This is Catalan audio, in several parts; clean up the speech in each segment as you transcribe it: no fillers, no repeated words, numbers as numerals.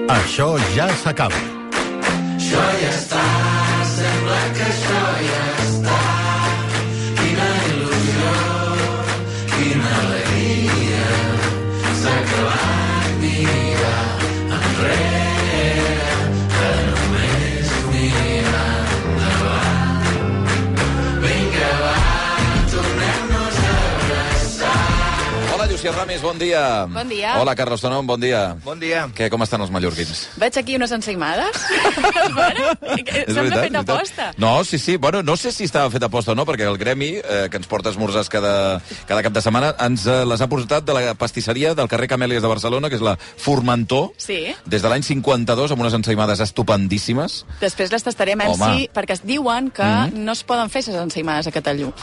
Això ja s'acaba. Això ja està, sembla que això ja està. Quina il·lusió, quina alegria, s'ha acabat mirar enrere, que només mirar endavant. Vinga, va, tornem-nos a abraçar. Hola, Llucia Ramis, bon dia. Bon dia. Hola, Carlos Tonom, bon dia. Bon dia. Què, com estan els mallorquins? Veig aquí unes ensaïmades. Bueno, sembla fet aposta. No, sí. Bueno, no sé si estava fet aposta o no, perquè el gremi, que ens porta esmorzars cada cap de setmana, ens les ha portat de la pastisseria del carrer Camèlies de Barcelona, que és la Formentor, Sí. des de l'any 52, amb unes ensaïmades estupendíssimes. Després les tastarem, Home. perquè es diuen que no es poden fer aquestes ensaïmades a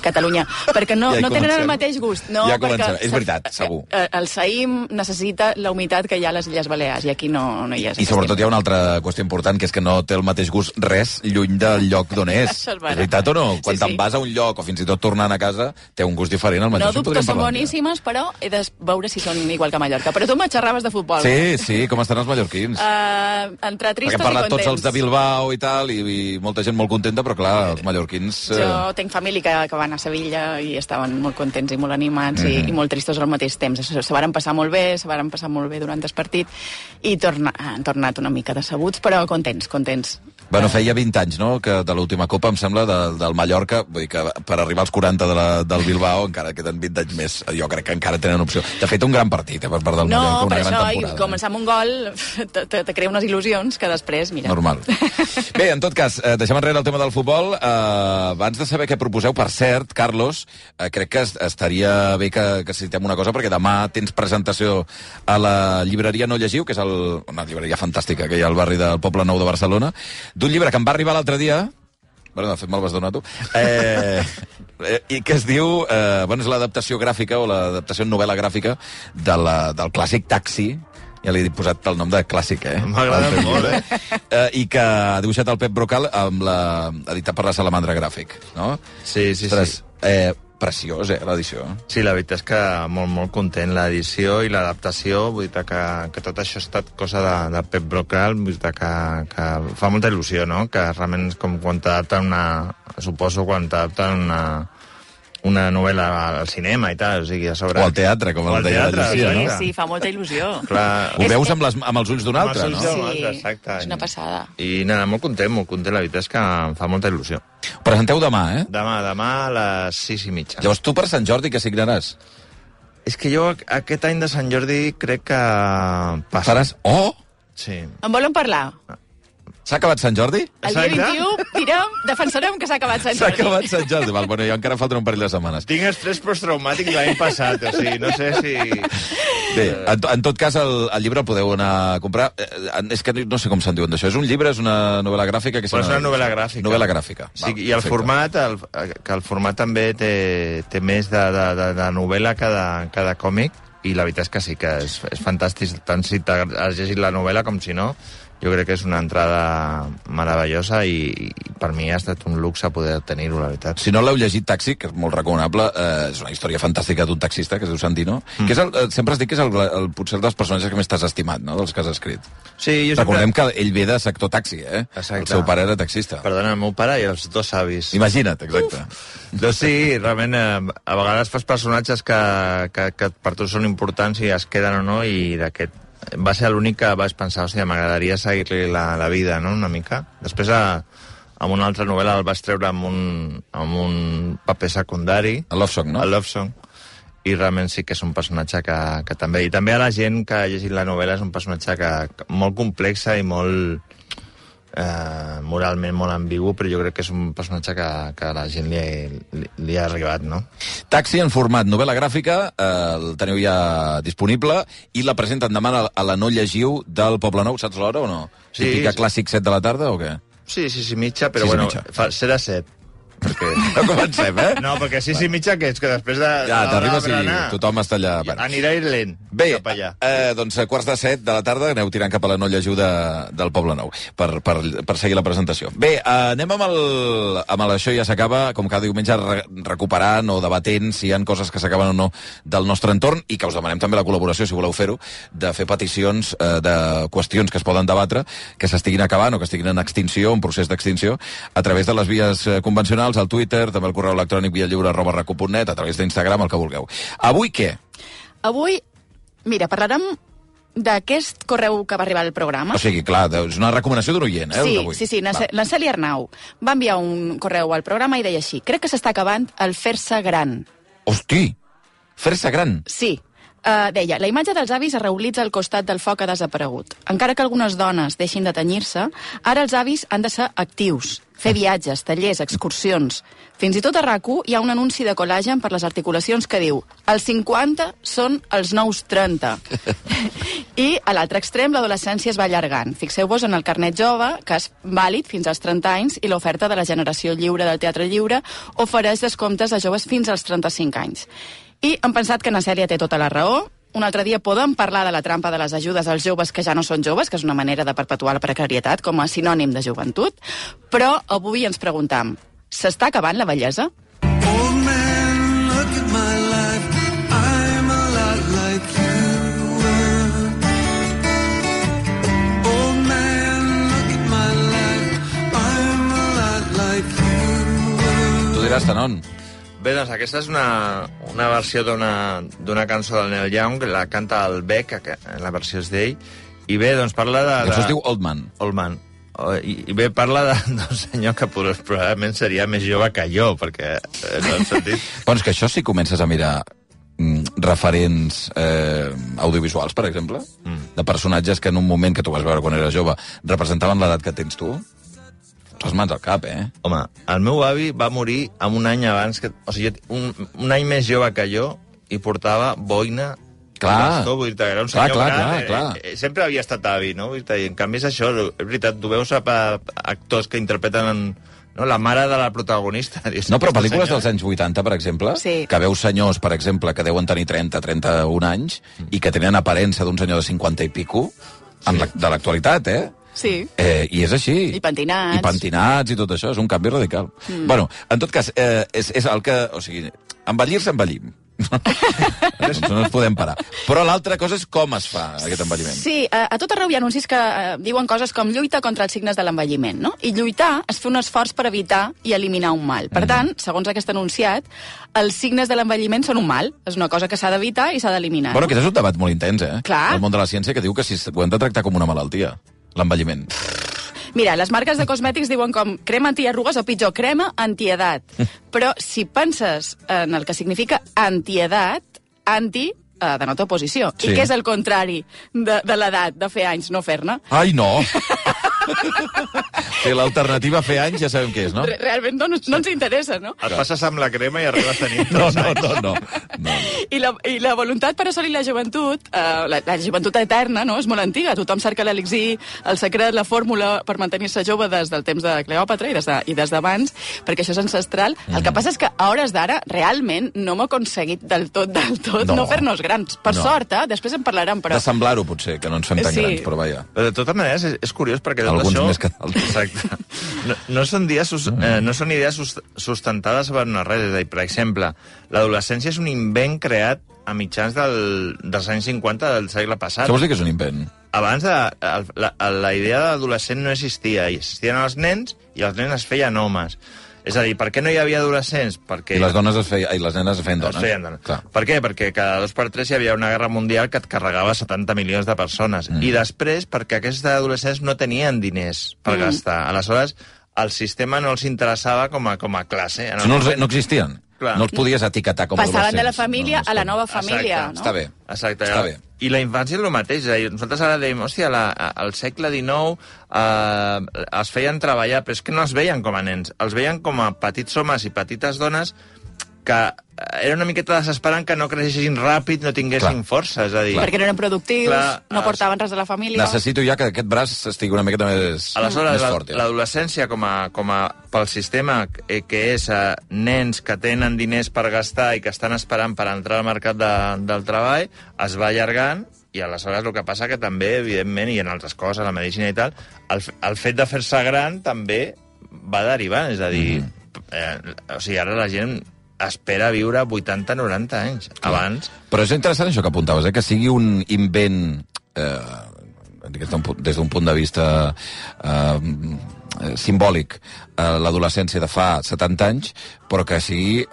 Catalunya, perquè no, Ja hi no tenen comencem. el mateix gust. No, Ja perquè comencem. És veritat, segur. El saïm necessita la humitat que hi ha a les Illes Balears, i aquí no hi és. I sobretot hi ha una altra qüestió important, que és que no té el mateix gust res lluny del lloc d'on és. Això és vera. Veritat o no? Quan Sí, te'n sí. vas a un lloc, o fins i tot tornant a casa, té un gust diferent. El No mateix dubto que són boníssimes, però he de veure si són igual que a Mallorca. Però tu me xerraves de futbol. Sí, com estan els mallorquins? Entre Perquè tristos hem parlat i tots contents. els de Bilbao i tal, i molta gent molt contenta, però clar, els mallorquins... Jo tinc família que van a Sevilla i estaven molt contents i molt animats i molt tristos al mateix temps. Se varen passar molt bé, durant el partit i han tornat una mica decebuts, però contents. Bueno, feia 20 anys, no?, que de l'última Copa, em sembla, del Mallorca, vull dir que per arribar als 40 del Bilbao encara queden 20 anys més. Jo crec que encara tenen opció. De fet, un gran partit, per part del Mallorca, No, una per gran això, temporada. i començar amb un gol te crea unes il·lusions que després, mira... Normal. Bé, en tot cas, deixem enrere el tema del futbol. Abans de saber què proposeu, per cert, Carlos, crec que estaria bé que citem una cosa, perquè demà tens presentació a la llibreria No Llegiu, que és una llibreria fantàstica que hi ha al barri del Poble Nou de Barcelona, d'un llibre que em va arribar l'altre dia. Bueno, de fet, me'l vas donar tu. I que es diu... és l'adaptació gràfica o l'adaptació en novel·la gràfica del clàssic Taxi. Ja li he posat el nom de clàssic, M'agrada molt, I que ha dibuixat el Pep Brocal editat per la Salamandra Gràfic, no? Sí. Ostres, preciós, l'edició. Sí, la veritat és que molt content. L'edició i l'adaptació, vull dir que tot això ha estat cosa de Pep Brocal, vull dir que fa molta il·lusió, no? Que realment és com quan t'adapten quan t'adapten una novel·la al cinema i tal, o sigui, a sobre... O al teatre, com el deia la Llucia, no? Sí, fa molta il·lusió. Clar, Ho veus amb els ulls d'un altre, no? Sí, exacte. és una passada. I nada, molt content, la veritat és que em fa molta il·lusió. Presenteu demà, Demà a les 6:30. Llavors tu per Sant Jordi què signaràs? És que jo aquest any de Sant Jordi crec que passa. Faràs... Oh! Sí. En volen parlar? S'ha acabat Sant Jordi? El dia 21 defensarem que s'ha acabat Sant S'ha Jordi. acabat Sant Jordi. Val, bueno, jo encara falten un parell de setmanes. Tinc estrès posttraumàtic l'any passat, o sigui, no sé si... Bé, en tot cas, el llibre el podeu anar a comprar. És que no sé com se'n diuen d'això. És un llibre, és una novel·la gràfica? És una novel·la gràfica. Novel·la gràfica. Sí, i el format, que el format també té més de novel·la que de còmic, i la veritat és que sí que és fantàstic, tant si has llegit la novel·la com si no. Jo crec que és una entrada meravellosa i per mi ha estat un luxe poder tenir-ho, la veritat. Si no l'heu llegit, Taxi, que és molt recomanable, és una història fantàstica d'un taxista, que es diu Sandino, que és sempre es diu que és potser dels personatges que més t'has estimat, no?, dels que has escrit. Sí, jo Recordem que ell ve de sector taxi, Exacte. El seu pare era taxista. Perdona, el meu pare i els dos avis. Imagina't, exacte. Doncs sí, realment, a vegades fas personatges que per tu són importants i es queden o no, i d'aquest va ser l'únic que vaig pensar, hòstia, m'agradaria seguir-li la vida, no?, una mica. Després, amb una altra novel·la el vaig treure amb un paper secundari. El Love Song, no? El Love Song. I realment sí que és un personatge que també... I també a la gent que ha llegit la novel·la és un personatge molt complexa i molt... moralment molt ambigu, però jo crec que és un personatge que a la gent li ha arribat, no? Taxi en format novel·la gràfica, el teniu ja disponible, i la presenten demà a la No Llegiu del Poble Nou, saps l'hora o no? Sí, Típica sí. Clàssic 7 de la tarda o què? Sí, 6:30, però 6:30. bueno, serà 7. No comencem, eh? No, perquè 6 i mitja, que és que després de... Ja, t'arribes i berenar, tothom està allà. Anirà lent, Bé, cap allà. doncs a 6:45 de la tarda aneu tirant cap a la Nolla Ajuda del Poble Nou per seguir la presentació. Bé, anem amb això ja s'acaba, com cada diumenge, recuperant o debatent si hi ha coses que s'acaben o no del nostre entorn i que us demanem també la col·laboració, si voleu fer-ho, de fer peticions de qüestions que es poden debatre, que s'estiguin acabant o que estiguin en extinció, en procés d'extinció, a través de les vies convencionals, al Twitter, també al correu electrònic viallliure@racu.net, a través d'Instagram, el que vulgueu. Avui què? Avui, mira, parlarem d'aquest correu que va arribar al programa. O sigui, clar, és una recomanació d'un oient, Sí, la Cèlia Arnau va enviar un correu al programa i deia així: crec que s'està acabant el fer-se gran. Hosti, fer-se gran. Sí. Deia, la imatge dels avis es realitza al costat del foc ha desaparegut. Encara que algunes dones deixin de tenyir-se, ara els avis han de ser actius, fer viatges, tallers, excursions. Fins i tot a RAC1 hi ha un anunci de col·lagen per les articulacions que diu els 50 són els nous 30. I a l'altre extrem l'adolescència es va allargant. Fixeu-vos en el carnet jove, que és vàlid fins als 30 anys, i l'oferta de la generació lliure del Teatre Lliure ofereix descomptes a joves fins als 35 anys. I hem pensat que na Cèlia té tota la raó. Un altre dia podem parlar de la trampa de les ajudes als joves que ja no són joves, que és una manera de perpetuar la precarietat com a sinònim de joventut, però avui ens preguntam, s'està acabant la vellesa? Old man, look at my life. I'm a lot like you were. Old man, look at my life. I'm a lot like you were. Tu diràs, Tanon. Bé, doncs aquesta és una versió d'una cançó del Neil Young, que la canta el Beck, que la versió és d'ell, i bé, doncs parla de... Això es diu Old Man. Old Man. I bé, parla d'un senyor que probablement seria més jove que jo, perquè no hem sentit... Doncs que això si comences a mirar referents audiovisuals, per exemple, de personatges que en un moment que tu vas veure quan eres jove representaven l'edat que tens tu, les mans al cap, Home, el meu avi va morir amb un any abans que... O sigui, un any més jove que jo i portava boina. Clar. Bastó, vull dir, era un senyor Clar. gran. Sempre havia estat avi, no? Vull dir, en canvi és això, és veritat, tu veus actors que interpreten la mare de la protagonista. No, però pel·lícules dels anys 80, per exemple, sí, que veus senyors, per exemple, que deuen tenir 31 anys i que tenen aparença d'un senyor de 50 i pico, de l'actualitat, Sí. I és així. I pentinats. I pentinats i tot això, és un canvi radical. Bueno, en tot cas, és el que... O sigui, envellir-se envellim. No ens podem parar. Però l'altra cosa és com es fa aquest envelliment. Sí, a tot arreu hi ha anuncis que diuen coses com lluita contra els signes de l'envelliment, no? I lluitar és fer un esforç per evitar i eliminar un mal. Per tant, segons aquest enunciat, els signes de l'envelliment són un mal. És una cosa que s'ha d'evitar i s'ha d'eliminar. Bueno, que és un debat molt intens, Clar. El món de la ciència, que diu que si ho hem de tractar com una malaltia, l'envelliment. Mira, les marques de cosmètics diuen com crema antiarrugues o pitjor, crema antiedat. Però si penses en el que significa antiedat, anti denota oposició. Sí. I què és el contrari de l'edat, de fer anys, no fer-ne? Ai, no! Sí, l'alternativa a fer anys ja sabem què és, no? Realment no ens interessa, no? Et passes amb la crema i arribes a tenir... No. I la voluntat per assolir la joventut, la joventut eterna, no? És molt antiga. Tothom cerca l'elixir, el secret, la fórmula per mantenir-se jove des del temps de Cleòpatra i des d'abans, perquè això és ancestral. El que passa és que a hores d'ara, realment, no hem aconseguit del tot no fer-nos grans. Per sort, després en parlarem, però... De semblar-ho, potser, que no ens fem tan grans, però vaja. Però de totes maneres, és curiós, perquè tot alguns això... més que d'altres. Exacte. No són idees sustentades per una res. És a dir, per exemple, l'adolescència és un invent creat a mitjans dels anys 50 del segle passat. Què vols dir que és un invent? Abans la idea d'adolescent no existia. Existien els nens i els nens es feien homes. És a dir, per què no hi havia adolescents? Perquè... I les dones i les nenes es feien dones. Es feien dones. Per què? Perquè cada 2 per 3 hi havia una guerra mundial que et carregava 70 milions de persones. I després, perquè aquests adolescents no tenien diners per gastar. Aleshores, el sistema no els interessava com a classe. No existien? Clar. No els podies etiquetar com a adolescents. Passaven de la família a la nova família, no? Està bé. Exacte. Està bé. I la infància és el mateix. Nosaltres ara dèiem, hòstia, al segle XIX es feien treballar, però és que no els veien com a nens. Els veien com a petits homes i petites dones que era una miqueta desesperant que no creixessin ràpid, no tinguessin força, és a dir... Perquè no eren productius, no portaven res a la família... Necessito ja que aquest braç estigui una miqueta més fort. Aleshores, l'adolescència, com a pel sistema que és nens que tenen diners per gastar i que estan esperant per entrar al mercat del treball, es va allargant, i aleshores el que passa que també, evidentment, i en altres coses, la medicina i tal, el fet de fer-se gran també va derivant, és a dir, o sigui, ara la gent espera viure 80-90 anys. Abans... Però és interessant això que apuntaves, que sigui un invent, des d'un punt de vista simbòlic, l'adolescència de fa 70 anys, però que sigui,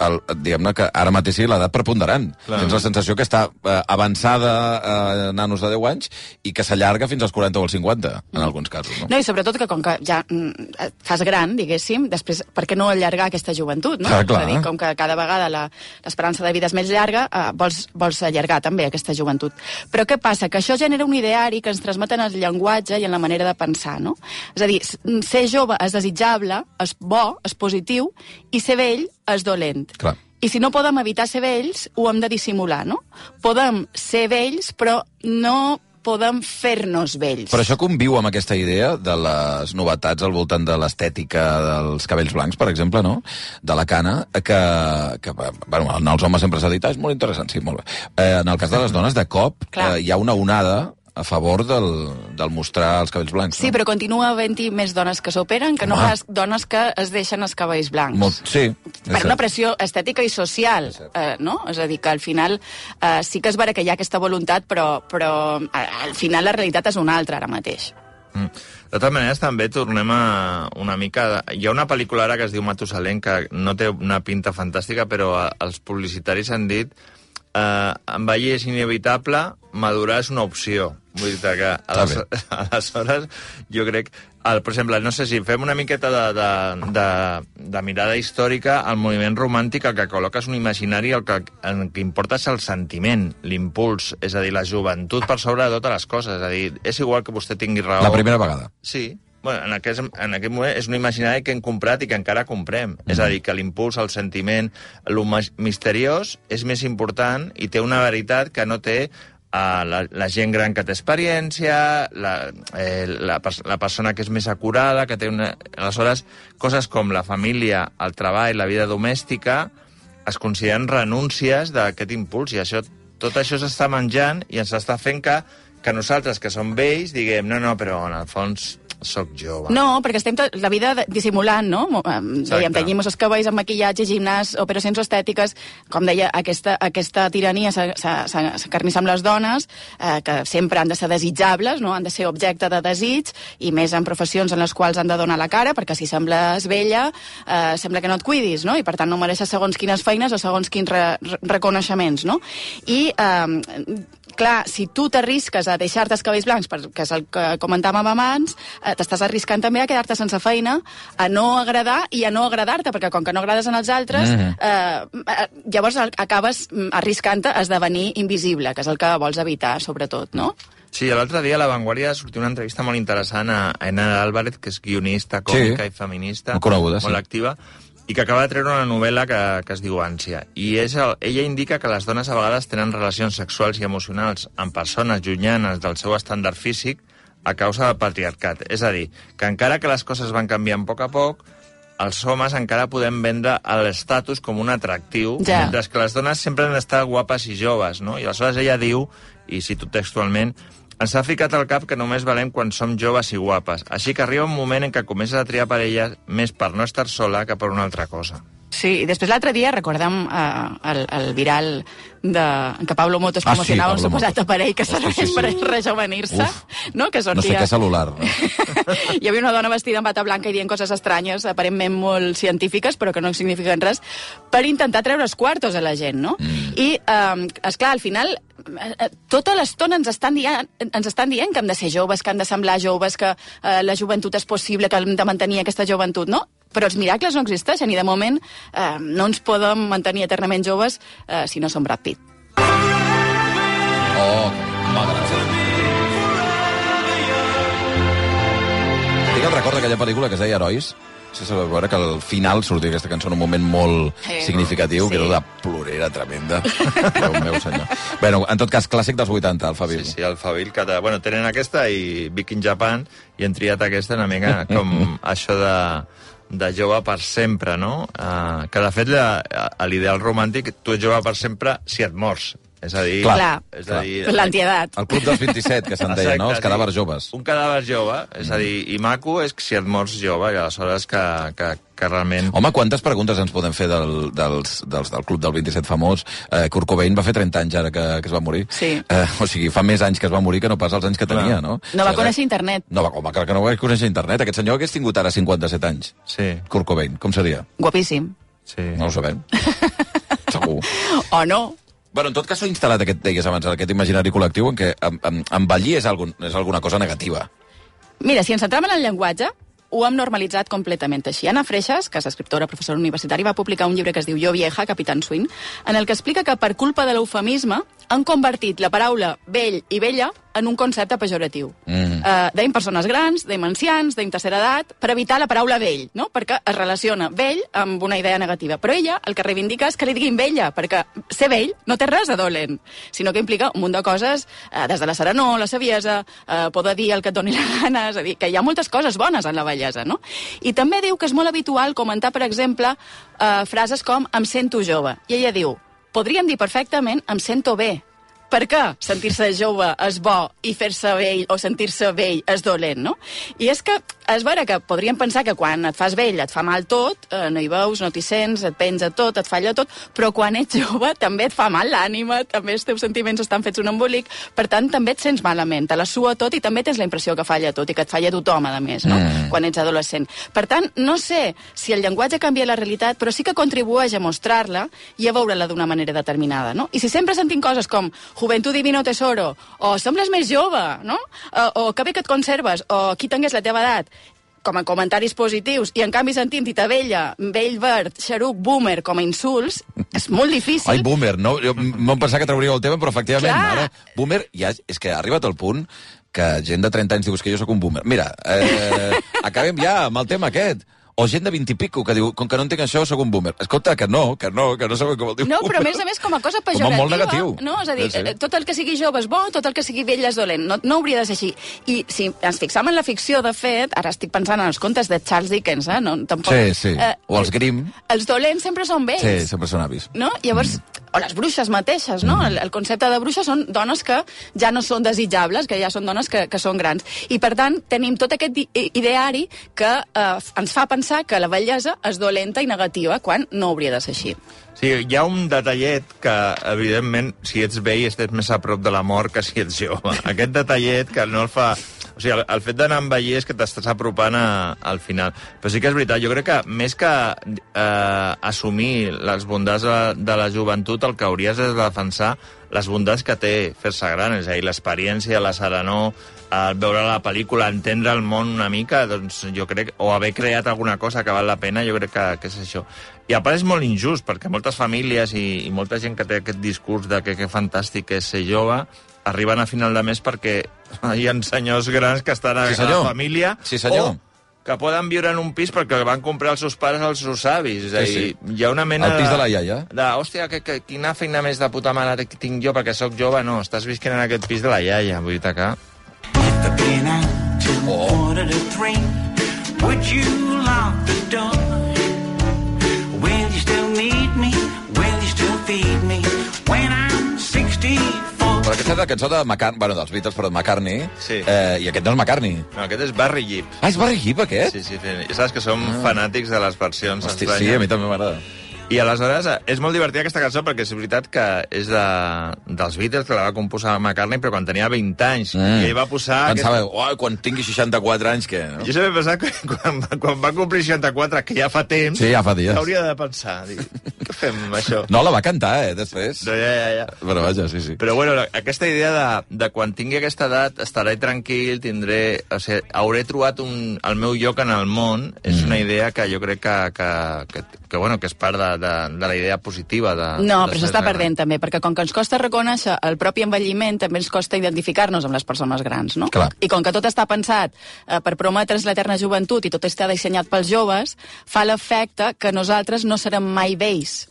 diguem-ne, que ara mateix sigui l'edat preponderant. Tens la sensació que està avançada nanos de 10 anys i que s'allarga fins als 40 o als 50, en alguns casos. No, i sobretot que com que ja et fas gran, diguéssim, després, per què no allargar aquesta joventut, no? Clar. És a dir, com que cada vegada l'esperança de vida és més llarga, vols allargar també aquesta joventut. Però què passa? Que això genera un ideari que ens transmeten el llenguatge i en la manera de pensar, no? És a dir, ser jove és desitjable, és bo, és positiu, i ser vell és dolent. Clar. I si no podem evitar ser vells, ho hem de dissimular, no? Podem ser vells, però no podem fer-nos vells. Però això conviu amb aquesta idea de les novetats al voltant de l'estètica dels cabells blancs, per exemple, no? De la cana, que bueno, en els homes sempre s'ha dit, és molt interessant, sí, molt bé. En el cas de les dones, de cop, hi ha una onada a favor del mostrar els cabells blancs. Sí, no? però continua havent-hi més dones que s'operen que no pas dones que es deixen els cabells blancs. Sí. Per una pressió estètica i social, no? És a dir, que al final sí que és vera que hi ha aquesta voluntat, però al final la realitat és una altra ara mateix. De totes maneres, també tornem a una mica... Hi ha una pel·lícula ara que es diu Matusalén, que no té una pinta fantàstica, però els publicitaris han dit envellir és inevitable, madurar és una opció. Vull dir que aleshores jo crec... per exemple, no sé si fem una miqueta de mirada històrica, el moviment romàntic el que col·loca és un imaginari, el que importa és el sentiment, l'impuls, és a dir, la joventut per sobre de totes les coses. És a dir, és igual que vostè tingui raó... La primera vegada. Sí. Bueno, en aquest moment és un imaginari que hem comprat i que encara comprem. És a dir, que l'impuls, el sentiment, el misteriós és més important i té una veritat que no té la gent gran que té experiència, la persona que és més acurada, que té una... Aleshores, coses com la família, el treball, la vida domèstica, es consideren renúncies d'aquest impuls, i tot això s'està menjant i ens està fent que nosaltres, que som vells, diguem, no, però en el fons... soc jove. No, perquè estem la vida dissimulant, no? Dèiem, tenyim els cabells amb maquillatge, gimnàs, operacions estètiques, com deia, aquesta tirania s'acarnissa amb les dones, que sempre han de ser desitjables, no? Han de ser objecte de desig, i més en professions en les quals han de donar la cara, perquè si sembles vella, sembla que no et cuidis, no? I per tant no mereixes segons quines feines o segons quins reconeixements, no? I clar, si tu t'arrisques a deixar-te els cabells blancs, que és el que comentàvem abans, t'estàs arriscant també a quedar-te sense feina, a no agradar i a no agradar-te, perquè com que no agrades en els altres, llavors acabes arriscant-te a esdevenir invisible, que és el que vols evitar, sobretot, no? Sí, l'altre dia a La Vanguardia sortia una entrevista molt interessant a Ainara Álvarez, que és guionista, còmica i feminista, molt activa, i que acaba de treure una novel·la que es diu Ànsia. I ella indica que les dones a vegades tenen relacions sexuals i emocionals amb persones llunyanes del seu estàndard físic a causa del patriarcat. És a dir, que encara que les coses van canviant a poc, els homes encara podem vendre l'estatus com un atractiu, mentre que les dones sempre han d'estar guapes i joves, no? I aleshores ella diu, i cito textualment, ens ha ficat al cap que només valem quan som joves i guapes. Així que arriba un moment en què comences a triar parelles més per no estar sola que per una altra cosa. Sí, i després l'altre dia recordem el viral en què Pablo Motos promocionava un suposat aparell que serveix per rejovenir-se, no? Que sortia... No sé què celular. No? Hi havia una dona vestida amb bata blanca i dient coses estranyes, aparentment molt científiques, però que no signifiquen res, per intentar treure els quartos a la gent, no? I, esclar, al final, tota l'estona ens estan dient que hem de ser joves, que hem de semblar joves, que la joventut és possible, que hem de mantenir aquesta joventut, no? Però els miracles no existeixen i, de moment, no ens podem mantenir eternament joves si no som Brad Pitt. Oh, m'agrada. Tinc el recorda aquella pel·lícula que es deia Herois? Sí, se va veure que al final sortia aquesta cançó en un moment molt significatiu, que era una plorera tremenda. Déu meu senyor. Bueno, en tot cas, clàssic dels 80, Alphaville. Sí, Alphaville, que bueno, tenen aquesta i Big in Japan, i han triat aquesta una mica com això de jove per sempre, no? Que, de fet, a l'ideal romàntic, tu ets jove per sempre si et mors. És a dir... Clar, l'antiedat. El club dels 27, que se'n deia, no? Els cadàvers joves. Un cadàver jove, és a dir, i maco és si et mors jove, i aleshores que realment... Home, quantes preguntes ens podem fer del club del 27 famós? Kurt Cobain va fer 30 anys ara que es va morir. Sí. O sigui, fa més anys que es va morir que no pas els anys que tenia, no? No va conèixer internet. No, home, clar que no va conèixer internet. Aquest senyor hagués tingut ara 57 anys. Sí. Kurt Cobain, com seria? Guapíssim. Sí. No ho sabem. Segur. O no. Bueno, en tot cas s'ha instal·lat deies abans, aquest imaginari col·lectiu en què envellir és alguna cosa negativa. Mira, si ens centrem en el llenguatge, ho hem normalitzat completament així. Anna Freixas, que és escriptora, professora universitària, va publicar un llibre que es diu Jo vieja, Capitán Swing, en el que explica que per culpa de l'eufemisme han convertit la paraula vell i vella en un concepte pejoratiu. Deim persones grans, deim ancians, deim tercera edat, per evitar la paraula vell, no? Perquè es relaciona vell amb una idea negativa. Però ella el que reivindica és que li diguin vella, perquè ser vell no té res de dolent, sinó que implica un munt de coses, des de la serenor, la saviesa, poder dir el que et doni la gana, és a dir, que hi ha moltes coses bones en la vellesa, no? I també diu que és molt habitual comentar, per exemple, frases com em sento jove. I ella diu, podríem dir perfectament em sento bé. Per què sentir-se jove és bo i fer-se vell o sentir-se vell és dolent, no? I és que és vera que podríem pensar que quan et fas vell et fa mal tot, no hi veus, no t'hi sents, et penja tot, et falla tot, però quan ets jove també et fa mal l'ànima, també els teus sentiments estan fets un embolic, per tant també et sents malament, te la sua tot i també tens la impressió que falla tot i que et falla tothom, a més, no? Quan ets adolescent. Per tant, no sé si el llenguatge canvia la realitat, però sí que contribueix a mostrar-la i a veure-la d'una manera determinada, no? I si sempre sentim coses com Juventud divino tesoro, o sembles més jove, no? O que bé que et conserves, o qui tingués la teva edat, com a comentaris positius, i en canvi sentim tita vella, vell verd, xeruc, boomer, com a insults, és molt difícil. Ai, boomer, no? Jo m'ho pensava que trauríeu el tema, però efectivament, Clar. ara, boomer, ja, és que ha arribat al punt que gent de 30 anys diu que jo sóc un boomer. Mira, acabem ja amb el tema aquest. O gent de 20 i pico que diu, com que no entenc això, sóc un boomer. Escolta, que no sabeu com el diu No, boomer. però a més com a cosa pejorativa. Com a molt negatiu. No? És a dir, Sí. tot el que sigui jove és bo, tot el que sigui vell és dolent. No hauria de ser així. I si ens fixam en la ficció, de fet, ara estic pensant en els contes de Charles Dickens, no? Tampoc, Sí. O els Grimm. Els dolents sempre són vells. Sí, sempre són avis. No? Llavors, o les bruixes mateixes, no? El concepte de bruixa són dones que ja no són desitjables, que ja són dones que són grans. I, per tant, tenim tot aquest ideari que ens fa pensar que la bellesa és dolenta i negativa, quan no hauria de ser així. Sí, hi ha un detallet que, evidentment, si ets vell estàs més a prop de la mort que si ets jove. Aquest detallet que no el fa... O sigui, el fet d'anar a envellir és que t'estàs apropant al final. Però sí que és veritat, jo crec que més que assumir les bondats de la joventut, el que hauries és de defensar les bondats que té fer-se gran, és a dir, l'experiència, la serenor, veure la pel·lícula, entendre el món una mica, doncs jo crec, o haver creat alguna cosa que val la pena, jo crec que és això. I a part és molt injust, perquè moltes famílies i molta gent que té aquest discurs de que fantàstic és ser jove, arriben a final de mes perquè hi ha senyors grans que estan a la família, o que poden viure en un pis perquè van comprar els seus pares als seus avis. És a dir, hi ha una mena el pis de la iaia. Hòstia, quina feina més de puta mare que tinc jo perquè sóc jove. No, estàs visquent en aquest pis de la iaia. Vull dir que... Would you lock the door? Will you still need me? Will you still feed me? When I'm 64. Però aquesta és la cançó de McCartney, bueno, dels Beatles, però de McCartney. Sí. I aquest no és McCartney. No, aquest és Barry Gibb. Ah, és Barry Gibb, aquest? Sí. Ja saps que som fanàtics de les versions estranyes. Sí, a mi també m'agrada. I aleshores és molt divertida aquesta cançó perquè és veritat que és dels Beatles, que la va composar McCartney, però quan tenia 20 anys. I ell va posar... Pensava, quan tingui 64 anys, què? No? Jo sempre he pensat que quan va complir 64, que ja fa temps, sí, ja fa dies, hauria de pensar. fem això. No, la va cantar, després. No, ja. Però vaja, sí. Però bueno, aquesta idea de quan tingui aquesta edat estaré tranquil, hauré trobat el meu lloc en el món, és una idea que jo crec que és part de la idea positiva. No, però s'està perdent també, perquè com que ens costa reconèixer el propi envelliment, també ens costa identificar-nos amb les persones grans, no? Clar. I com que tot està pensat per prometre's l'eterna joventut i tot està dissenyat pels joves, fa l'efecte que nosaltres no serem mai vells.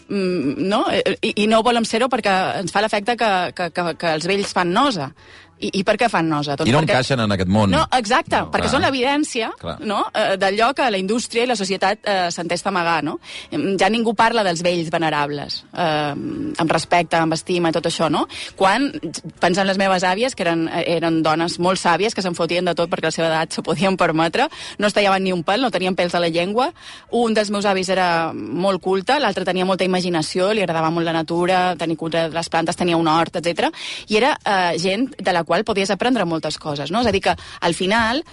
No? I no volem ser-ho perquè ens fa l'efecte que els vells fan nosa. I per què fan nosa? I no encaixen en aquest món. No, exacte, perquè són l'evidència, no? D'allò que la indústria i la societat s'entesta a amagar, no? Ja ningú parla dels vells venerables, amb respecte, amb estima i tot això, no? Quan pensen les meves àvies, que eren dones molt sàvies, que se'n fotien de tot perquè a la seva edat s'ho podien permetre, no es tallaven ni un pèl, no tenien pèls a la llengua. Un dels meus avis era molt culte, l'altre tenia molta imaginació, li agradava molt la natura, tenir cura de les plantes, tenia un hort, etc. I era gent de la qual podies aprendre moltes coses, no? És a dir, que al final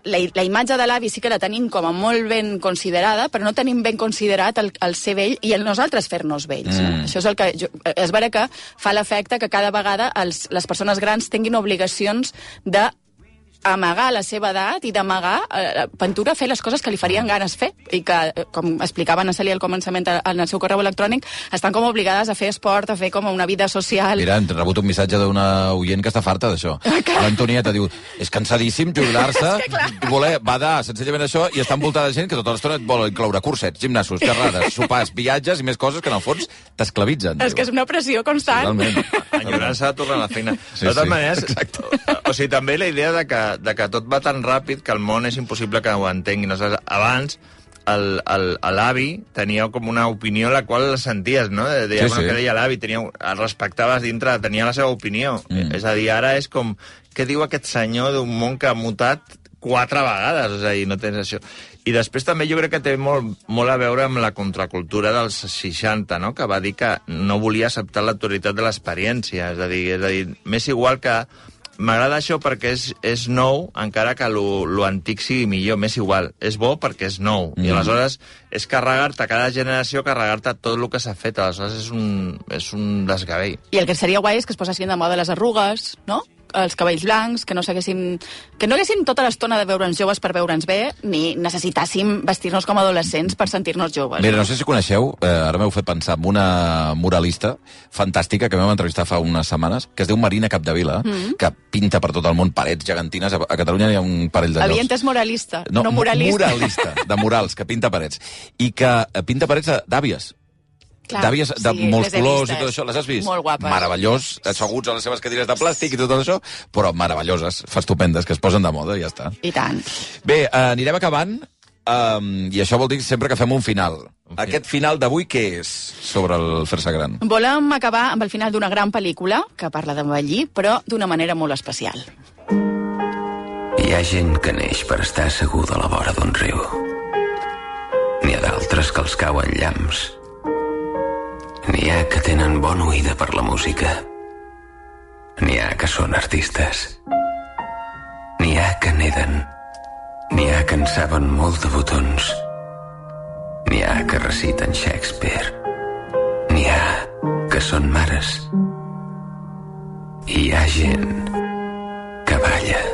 la imatge de l'avi sí que la tenim com a molt ben considerada, però no tenim ben considerat el ser vell i el nosaltres fer-nos vells. Això és el que és vera que fa l'efecte que cada vegada les persones grans tinguin obligacions de amagar la seva edat i d'amagar Ventura fer les coses que li farien ganes fer i que, com explicava Ana Cèlia al començament en el seu correu electrònic, estan com obligades a fer esport, a fer com una vida social. Mira, hem rebut un missatge d'una oient que està farta d'això. L'Antonieta diu, és cansadíssim jubilar-se i voler badar senzillament això i està envoltada de gent que tota l'estona et vol incloure cursets, gimnasos, xerrades, sopars, viatges i més coses que en el fons t'esclavitzen. És que és una pressió constant. Totalment. Enyorant-se de tornar a la feina. De totes maneres, o sigui, també la idea de que tot va tan ràpid que el món és impossible que ho entenguin. Abans, l'avi tenia com una opinió la qual la senties, no? Deia, que deia l'avi, el respectaves dintre, tenia la seva opinió. És a dir, ara és com, què diu aquest senyor d'un món que ha mutat 4 vegades? És a dir, no tens això. I després també jo crec que té molt a veure amb la contracultura dels 60, no? Que va dir que no volia acceptar l'autoritat de l'experiència. És a dir, m'és igual que m'agrada això perquè és nou, encara que lo antic sigui millor, m'és igual. És bo perquè és nou. I aleshores és carregar-te, cada generació, carregar-te tot el que s'ha fet. Aleshores és un desgavell. I el que seria guai és que es posessin de moda les arrugues, no? Els cabells blancs, que no haguéssim tota l'estona de veure'ns joves per veure'ns bé, ni necessitàssim vestir-nos com adolescents per sentir-nos joves. Mira, no sé si coneixeu, ara m'heu fet pensar en una muralista fantàstica que vam entrevistar fa unes setmanes, que es diu Marina Capdevila, que pinta per tot el món parets gegantines. A Catalunya hi ha un parell de llocs. Havia entès moralista, no muralista. Muralista, de murals, que pinta parets. I que pinta parets d'àvies. D'àvies de molts colors i tot això, les has vist? Molt guapes. Meravellós, asseguts a les seves cadires de plàstic i tot això, però meravelloses, estupendes, que es posen de moda i ja està. I tant. Bé, anirem acabant, i això vol dir sempre que fem un final. Aquest final d'avui què és sobre el fer-se gran? Volem acabar amb el final d'una gran pel·lícula que parla d'envellir, però d'una manera molt especial. Hi ha gent que neix per estar asseguda a la vora d'un riu. N'hi ha d'altres que els cauen llamps. N'hi ha que tenen bona oïda per la música. N'hi ha que són artistes. N'hi ha que neden. N'hi ha que en saben molt de botons. N'hi ha que reciten Shakespeare. N'hi ha que són mares. I hi ha gent que balla.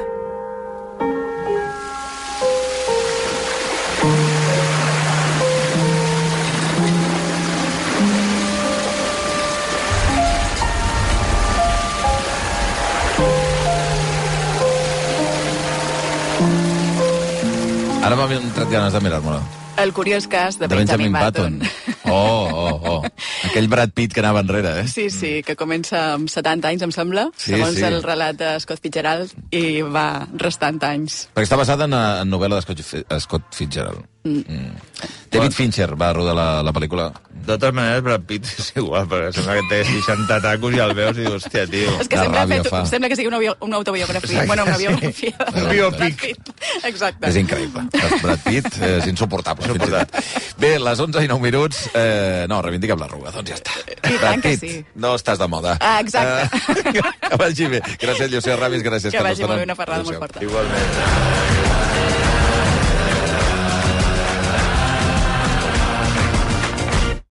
Ara m'ha entrat ganes de mirar-me-la. El curiós cas de Benjamin Button. Oh. Aquell Brad Pitt que anava enrere, eh? Sí, que comença amb 70 anys, em sembla, segons el relat de Scott Fitzgerald, i va restant anys. Perquè està basada en novel·la de Scott Fitzgerald. David Fincher va rodar la pel·lícula. De totes maneres, Brad Pitt és igual, perquè sembla que té 60 tacos i el veus i dius, hòstia, tio. És que sembla que sigui una autobiografia. Bueno, una biografia. Un biòpic. Exacte. És increïble. Brad Pitt és insuportable. Bé, les 11 i 9 minuts, no, reivindiquem l'arruga, doncs ja està. I tant que sí. No estàs de moda. Exacte. Que vagi bé. Gràcies, Llucia Ramis, gràcies, que Carlos. vagi molt bé, una ferrada molt forta. Igualment.